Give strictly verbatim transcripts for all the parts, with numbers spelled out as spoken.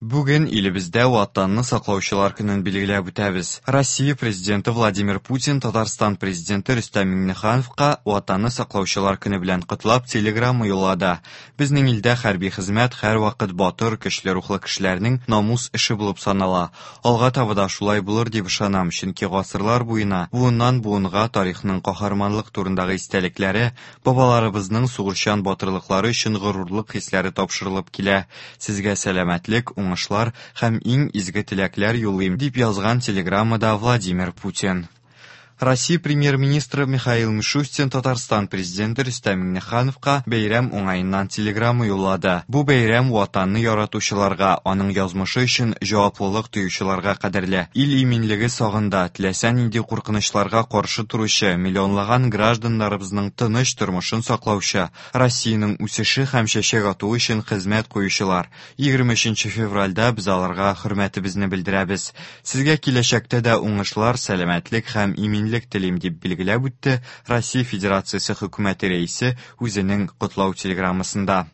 Бүген илебездә Ватанны саклаучылар көнен билгеләп үтәбез. Россия Президенты Владимир Путин Татарстан Президенты Рөстәм Миңнехановка Ватанны саклаучылар көне белән котлап телеграмма юллады. Безнең илдә хәрби хезмәт һәрвакыт батыр, көчле рухлы кешеләрнең намус эше булып санала. Алга таба да шулай булыр дип ышанам, чөнки гасырлар буена, буыннан буынга тарихның каһарманлык турындагы истәлекләре, бабаларыбызның сугышчан батырлыклары өчен горурлык хисләре тапшырылып килә. Сезгә сәламәтлек, уңышлар һәм иң изге теләкләр юллыйм, дип язган телеграммада Владимир Путин. Россия премьер-министры Михаил Мишустин Татарстан президенты Рөстәм Миңнехановка бәйрәм уңаеннан телеграмма юллады. Бу бәйрәм Ватанны яратучыларга, аның язмышы өчен җаваплылык тоючыларга кадерле. Ил иминлеге сагында теләсә нинди куркынычларга каршы торучы миллионлаган гражданнарыбызның тыныч тормышын саклаучы, Россиянең үсеше һәм чәчәк атуы өчен хезмәт куючылар. егерме өченче февральдә без аларга хөрмәтебезне белдерәбез. Сезгә киләчәктә дә уңышлар, сәламәтлек һәм иминлек телим, дип билгеләп үтте Россия Федерациясе хөкүмәте рәисе үзенең котлау телеграммасында.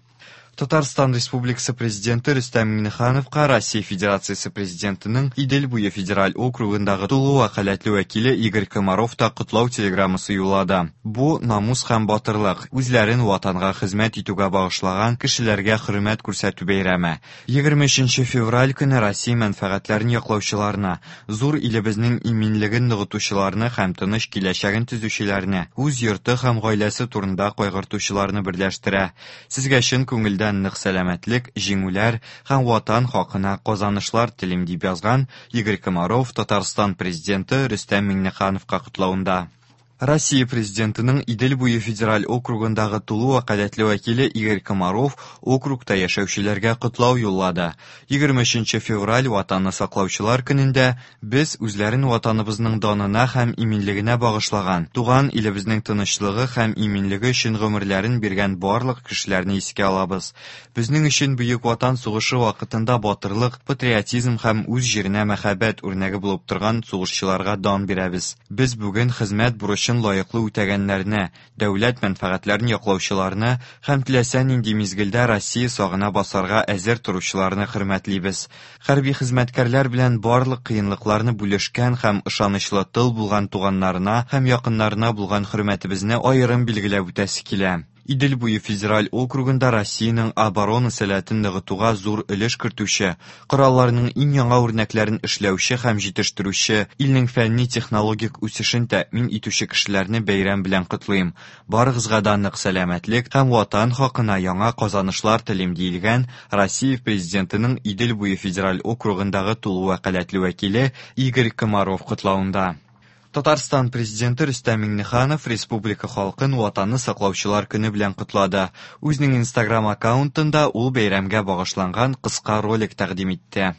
Татарстан Республикасы Президенты Рөстәм Миңнехановка Россия Федерациясе Президентының Идел буе федераль округындагы тулы вәкаләтле вәкиле Игорь Комаров та котлау телеграммасы юллады. Бу намус һәм батырлык, үзләрен ватанга хезмәт итүгә багышлаган кешеләргә хөрмәт күрсәтү бәйрәме. егерме өченче февраль көне Россия мәнфәгатьләрен яклаучыларны, зур илебезнең иминлеген ныгытучыларны һәм тыныч киләчәген төзүчеләрне, үз йорты һәм гаиләсе турында кайгыртучыларны берләштерә. Сезгә чын күңелдән нык сәламәтлек, җиңүләр һәм ватан хакына казанышлар телим, дип язган Игорь Комаров Татарстан Президенты Рөстәм Миңнехановка котлавында. Россия Президентының Идел буе федераль округындагы тулы вәкаләтле вәкиле Игорь Комаров округта яшәүчеләргә котлау юллады. егерме өченче февраль Ватанны саклаучылар көнендә без үзләрен ватаныбызның данына һәм иминлегенә багышлаган, туган илебезнең тынычлыгы һәм иминлеге өчен гомерләрен биргән барлык кешеләрне искә алабыз. Безнең өчен Бөек Ватан сугышы вакытында батырлык, патриотизм һәм үз җиренә мәхәббәт үрнәге булып торган сугышчыларга дан бирәбез. Без бүген хезмәт бурычын лаеклы үтәгәннәрне, дәүләт мәнфәгатьләрен яклаучыларны һәм теләсә нинди мизгелдә Россия сагына басарга әзер торучыларны хөрмәтлибез. Хәрби хезмәткәрләр белән барлык кыенлыкларны бүлешкән һәм ышанычлы тыл булган туганнарына һәм якыннарына булган хөрмәтебезне аерым билгеләп үтәсе килә. Идел буе федераль округында Россиянең оборона сәләтен ныгытуга зур өлеш кертүче, коралларның иң яңа үрнәкләрен эшләүче һәм җитештерүче, илнең фәнни-технологик үсешен тәэмин итүче кешеләрне бәйрәм белән котлыйм. Барыгызга да нык сәламәтлек һәм ватан хакына яңа казанышлар телим, диелгән Россия Президентының Идел буе федераль округындагы тулы вәкаләтле вәкиле Игорь Комаров котлавында. Татарстан Президенты Рөстәм Миңнеханов республика халкын Ватанны саклаучылар көне белән котлады. Үзенең Instagram аккаунтында ул бәйрәмгә багышланган кыска ролик тәкъдим итте.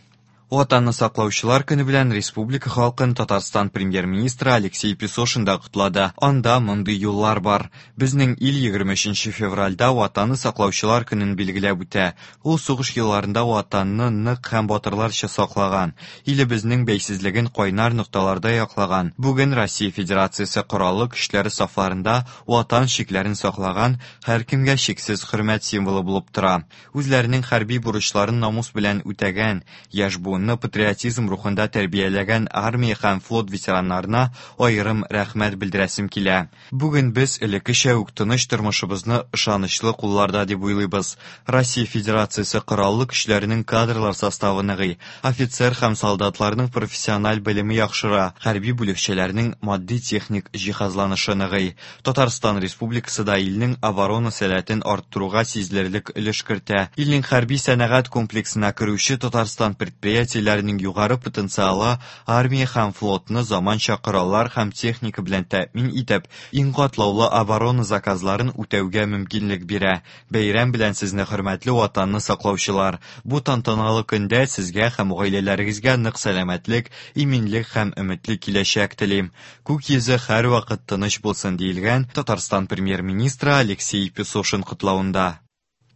Ватанны саклаучылар көне белән республика халкын Татарстан премьер-министры Алексей Песошин да котлады. Анда мондый юллар бар. Безнең ил егерме өченче февральдә Ватанны саклаучылар көнен билгеләп үтә. Ул сугыш елларында Ватанны нык һәм батырларча саклаган, илебезнең бәйсезлеген кайнар нокталарда яклаган. Бүген Россия Федерациясе Кораллы көчләре сафларында Ватан чикләрен саклаган һәркемгә чиксез хөрмәт символы булып тора. Үзләренең хәрби бурычларын намус белән үтәгән, яшь буын патриотизм рухында тәрбияләгән армия һәм флот ветераннарына аерым рәхмәт белдерәсем килә. Бүген без элеккечә үк тыныч тормышыбызны ышанычлы кулларда дип уйлыйбыз. Россия Федерациясе Кораллы көчләренең кадрлар составы ныгый, офицер һәм солдатларның профессиональ белеме яхшыра, хәрби бүлекчәләрнең матди-техник җиһазланышы ныгый. Татарстан Республикасы да илнең оборона сәләтен арттыруга сизелерлек өлеш кертә. Илнең хәрби сәнәгать комплексына керүче Татарстан предприятиеләренең югары потенциалы армия һәм флотны заманча кораллар һәм техника белән тәэмин итеп, иң катлаулы оборона заказларын үтәүгә мөмкинлек бирә. Бәйрәм белән сезне, хөрмәтле Ватанны саклаучылар! Бу тантаналы көндә сезгә һәм гаиләләрегезгә нык сәламәтлек, иминлек һәм өметле киләчәк телим. Күк йөзе һәрвакыт тыныч булсын, диелгән Татарстан премьер-министры Алексей Песошин котлавында.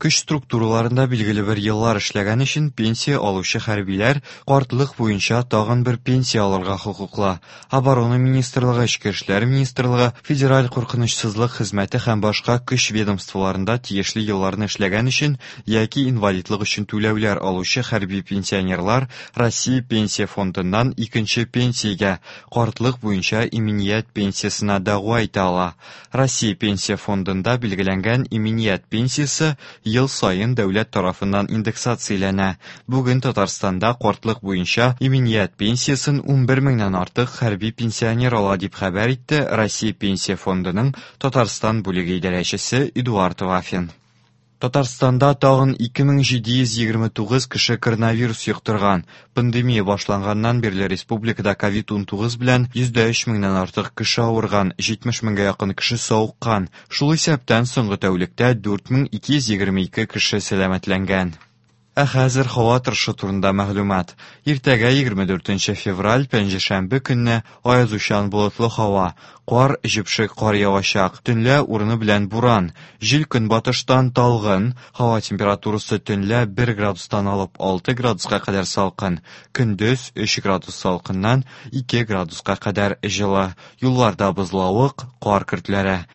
Көч структураларында билгеле бер еллар эшләгән өчен пенсия алучы хәрбиләр картлык буенча тагын бер пенсия алырга хокуклы. Оборона министрлыгы, Эчке эшләр министрлыгы, Федераль куркынычсызлык хезмәте һәм башка көч ведомстволарында тиешле елларны эшләгән өчен яки инвалидлык өчен түләүләр алучы хәрби пенсионерлар Россия Пенсия фондыннан икенче пенсиягә, картлык буенча иминият пенсиясенә дәгъва итә ала. Россия Пенсия фондында билгеләнгән иминият пенсиясе ел саен дәүләт тарафыннан индексацияләнә. Бүген Татарстанда картлык буенча иминият пенсиясен унбер меңнән артык хәрби пенсионер ала, дип хәбәр итте Россия Пенсия фондының Татарстан бүлеге идарәчесе Эдуард Вафин. Татарстанда тагын ике мең җиде йөз егерме тугыз кеше коронавирус йоктырган. Пандемия башланганнан бирле республикада ковид унтугыз белән йөз дә өч меңнән артык кеше авырган, җитмеш меңгә якын кеше савыккан. Шул исәптән соңгы тәүлектә дүрт мең ике йөз егерме ике кеше сәламәтләнгән. Ә хәзер һава торышы турында мәгълүмат. Иртәгә егерме дүртенче февраль, пәнҗешәмбе көнне аязучан болытлы һава, кар, җепшек кар явачак, төнлә урыны белән буран, җил көнбатыштан талгын, һава температурасы төнлә бер градустан алып алты градуска кадәр салкын, көндез өч градус салкыннан ике градуска кадәр җылы, юлларда бозлавык, кар көртләре.